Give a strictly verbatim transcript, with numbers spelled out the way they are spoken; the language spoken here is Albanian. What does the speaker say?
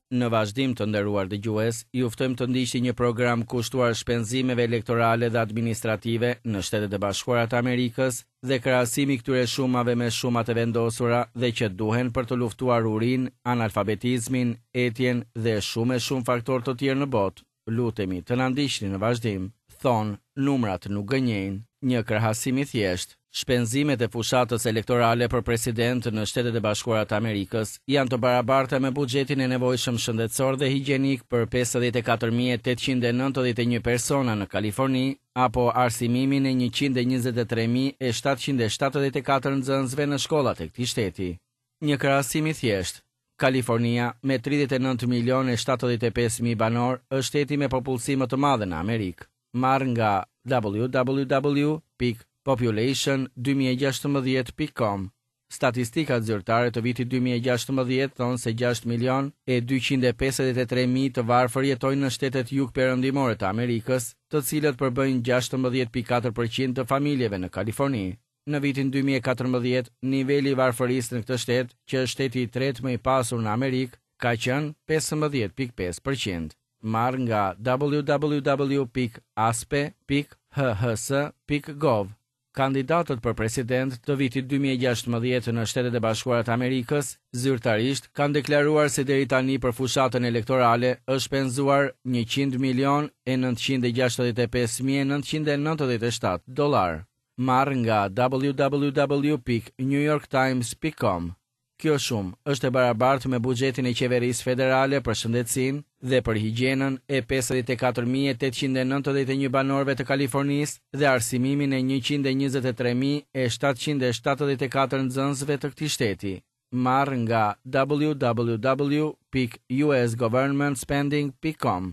Në vazhdim, të nderuar dëgjues, ju ftojmë të ndiqni një program kushtuar shpenzimeve elektorale dhe administrative në Shtetet e Bashkuara të Amerikës dhe krahasimi i këtyre shumave me shumat e vendosura dhe që duhen për të luftuar urinë, analfabetizmin, etjen dhe shumë e shumë faktorë të tjerë në botë. Lutemi të na ndiqni në vazhdim. Thonë, numrat nuk gënjejnë. Një krahasim i thjeshtë. Shpenzimet e fushatës elektorale për president në Shtetet e Bashkuara të Amerikës janë të barabarta me buxhetin e nevojshëm shëndetësor dhe higjenik për pesëdhjetë e katër mijë e tetëqind e nëntëdhjetë e një persona në Kaliforni apo arsimimin e njëqind e njëzet e tre mijë e shtatëqind e shtatëdhjetë e katër nxënësve në shkollat e këtij shteti. Një krahasim i thjeshtë. Kalifornia, me tridhjetë e nëntë milionë e shtatëdhjetë e pesë mijë banor, është shteti me popullsi më të madhe në Amerikë. Marrë nga W W W pikë population dy mijë e gjashtëmbëdhjetë pikë com. Statistikat zyrtare të vitit dy mijë e gjashtëmbëdhjetë thonë se gjashtë milion e dyqind e pesëdhjetë e tre mijë të varfër jetojnë në shtetet jug-perëndimore të Amerikës, të cilët përbëjnë gjashtëmbëdhjetë pikë katër përqind të familjeve në Kaliforni. Në vitin dy mijë e katërmbëdhjetë, niveli i varfërisë në këtë shtet, që është shteti i tretë më i pasur në Amerikë, ka qenë pesëmbëdhjetë pikë pesë përqind. Marrë nga W W W pikë A S P E pikë H H S pikë gov. Kandidatët për president të vitit dy mijë e gjashtëmbëdhjetë në Shtetet e Bashkuara të Amerikës zyrtarisht kanë deklaruar se deri tani për fushatën elektorale është shpenzuar njëqind milion e nëntëqind e gjashtëdhjetë e pesë mijë e nëntëqind e nëntëdhjetë e shtatë dollar. Marrë nga W W W pikë new york times pikë com. Kjo shumë është e barabartë me buxhetin e qeverisë federale për shëndetësinë dhe për higjienën e pesëdhjetë e katër mijë e tetëqind e nëntëdhjetë e një banorëve të Kalifornisë dhe arsimimin e njëqind e njëzet e tre mijë e shtatëqind e shtatëdhjetë e katër nxënësve të këtij shteti. Marrë nga W W W pikë U S government spending pikë com.